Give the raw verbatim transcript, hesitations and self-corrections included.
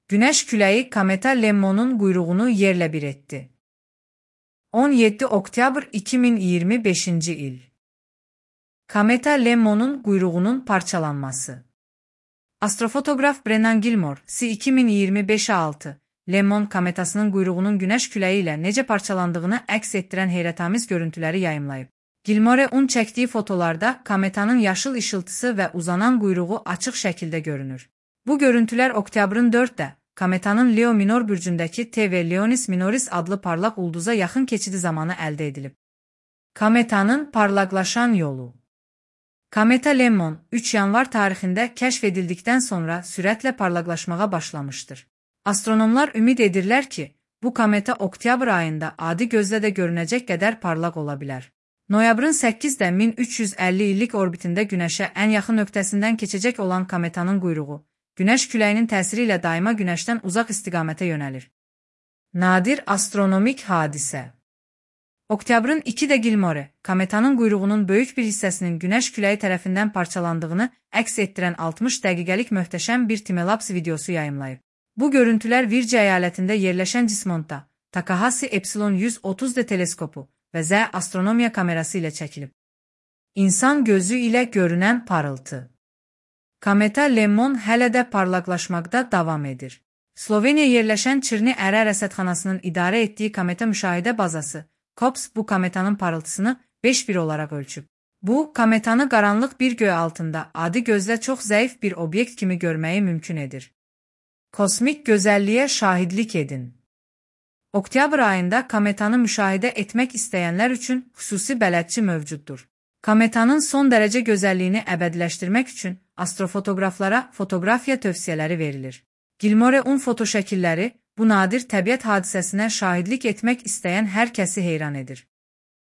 Güneş küləyi kometa Lemmon'un quyruğunu yerlə bir etdi. on yeddi oktyabr iki min iyirmi beşinci il. Kometa Lemmon'un quyruğunun parçalanması. Astrofotoqraf Brennan Gilmore, C iki min iyirmi beş altı, Lemmon kometasının quyruğunun güneş küləyi ilə necə parçalandığını əks etdirən heyrətamiz görüntüləri yayımlayıb. Gilmore'un çəkdiyi fotolarda kometanın yaşıl işıltısı və uzanan quyruğu açıq şəkildə görünür. Bu görüntülər oktyabrın dördündə kometanın Leo minor bürcündəki T V Leonis Minoris adlı parlaq ulduza yaxın keçidi zamanı əldə edilib. Kometanın parlaqlaşan yolu. Kometa Lemmon üç yanvar tarixində kəşf edildikdən sonra sürətlə parlaqlaşmağa başlamışdır. Astronomlar ümid edirlər ki, bu kometa oktyabr ayında adi gözlə də görünəcək qədər parlaq ola bilər. Noyabrın səkkizində min üç yüz əlli illik orbitində Günəşə ən yaxın nöqtəsindən keçəcək olan kometanın quyruğu, Günəş küləyinin təsiri ilə daima Günəşdən uzaq istiqamətə yönəlir. Nadir astronomik hadisə. Oktyabrın ikidə Gilmore, kometanın quyruğunun böyük bir hissəsinin Günəş küləyi tərəfindən parçalandığını əks etdirən altmış dəqiqəlik möhtəşəm bir timelaps videosu yayımlayıb. Bu görüntülər Virginia əyalətində yerləşən Cismonta, Takahashi Epsilon yüz otuz D teleskopu və Z astronomiya kamerası ilə çəkilib. İnsan gözü ilə görünən parıltı. Kometa Lemmon hələ də parlaqlaşmaqda davam edir. Sloveniya yerləşən Çirni Ərə rəsədxanasının idarə etdiyi kometa müşahidə bazası, COPS bu kometanın parıltısını beş bir olaraq ölçüb. Bu, kometanı qaranlıq bir göy altında adi gözlə çox zəif bir obyekt kimi görməyi mümkün edir. Kosmik gözəlliyə şahidlik edin. Oktyabr ayında kometanı müşahidə etmək istəyənlər üçün xüsusi bələdçi mövcuddur. Kometanın son dərəcə gözəlliyini əbədiləşdirmək üçün astrofotoqraflara fotoqrafiya tövsiyələri verilir. Gilmore'un fotoşəkilləri bu nadir təbiət hadisəsinə şahidlik etmək istəyən hər kəsi heyran edir.